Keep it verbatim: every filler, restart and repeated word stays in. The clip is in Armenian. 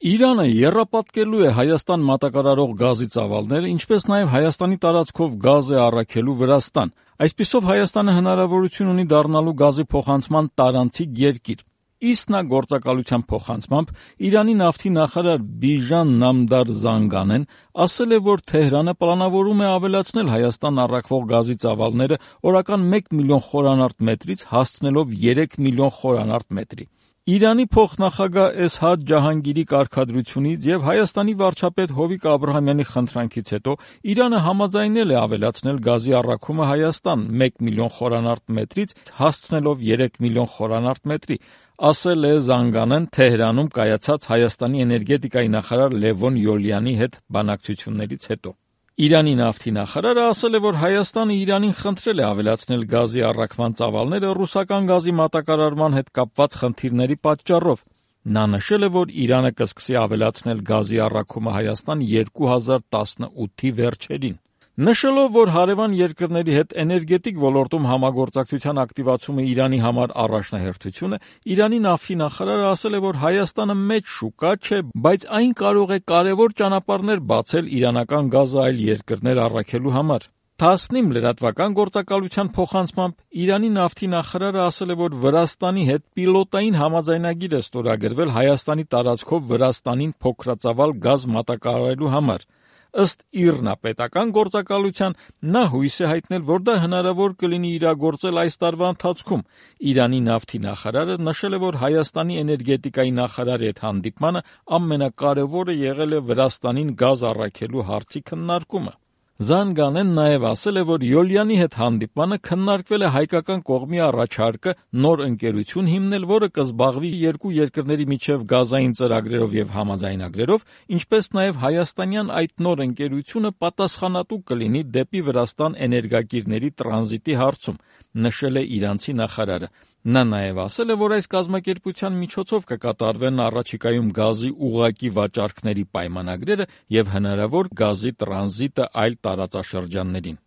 Իրանը եռապատկելու է Հայաստան մատակարարող գազի ծավալները, ինչպես նաև Հայաստանի տարածքով գազ է առաքելու Վրաստան։ Այսպիսով Հայաստանը հնարավորություն ունի դառնալու գազի փոխանցման տարանցիկ երկիր։ Իսնա գործակալության փոխանցմամբ Իրանի նավթի նախարար Բիժան Նամդար Զանգանեն ասել է, որ Թեհրանը պլանավորում է ավելացնել Հայաստան առաքվող գազի ծավալները օրական մեկ միլիոն խորանարդ մետրից հասցնելով երեք միլիոն խորանարդ մետրի։ Իրանի փոխնախագահ Էսհադ Ջահանգիրի կարգադրությունից եւ Հայաստանի վարչապետ Հովիկ Աբրահամյանի խնդրանքից հետո Իրանը համաձայնել է ավելացնել գազի առաքումը Հայաստան մեկ միլիոն խորանարդ մետրից հասցնելով երեք միլիոն խորանարդ մետրի, ասել է Զանգանեն Թեհրանում կայացած Հայաստանի էներգետիկայի նախարար Լևոն Յոլյանի հետ բանակցություններից հետո։ Իրանի նավթի նախարարը ասել է, որ Հայաստանը Իրանին խնդրել է ավելացնել գազի առաքման ծավալները ռուսական գազի մատակարարման հետ կապված խնդիրների պատճառով։ Նա նշել է, որ Իրանը կսկսի ավելացնել գազի առաքումը Հայաստան երկու հազար տասնութի վերջերին։ Նշելով, որ հարևան երկրների հետ էներգետիկ ոլորտում համագործակցության ակտիվացումը Իրանի համար առաջնահերթություն է, Իրանի նավթի նախարարը ասել է, որ Հայաստանը մեծ շուկա չէ, բայց այն կարող է կարևոր ճանապարհներ բացել իրանական գազը այլ երկրներ առաքելու համար։ Թասնիմ լրատվական գործակալության փոխանցմամբ Իրանի նավթի նախարարը ասել է, որ Վրաստանի հետ պիլոտային համաձայնագիր է ստորագրվել Հայաստանի տարածքով Վրաստանին փոքրածավալ գազ մատակարարելու համար։ Ըստ ԻՌՆԱ պետական գործակալության նա հույս է հայտնել, որ դա հնարավոր կլինի իրագործել այս տարվա ընթացքում։ Իրանի նավթի նախարարը նշել է, որ Հայաստանի էներգետիկայի նախարարի հետ հանդիպմանը ամենակարևորը եղել է Վրաստանին գազ առաքելու հարցի քննարկումը։ Զանգանեն նաև ասել է, որ Յոլյանի հետ հանդիպմանը քննարկվել է հայկական կողմի առաջարկը նոր ընկերություն հիմնել, որը կզբաղվի երկու երկրների միջև գազային ծրագրերով եւ համաձայնագրերով, ինչպես նաև հայաստանյան այդ նոր ընկերությունը պատասխանատու կլինի դեպի Վրաստան էներգակիրների տրանզիտի հարցում, նշել է իրանցի նախարարը։ Նա նաև ասել է, որ այս կազմակերպության միջոցով կկատարվեն առաջիկայում գազի ուղղակի վաճառքների պայմանագրերը եւ հնարավոր գազի տրանզիտը այլ տարածաշրջաններին։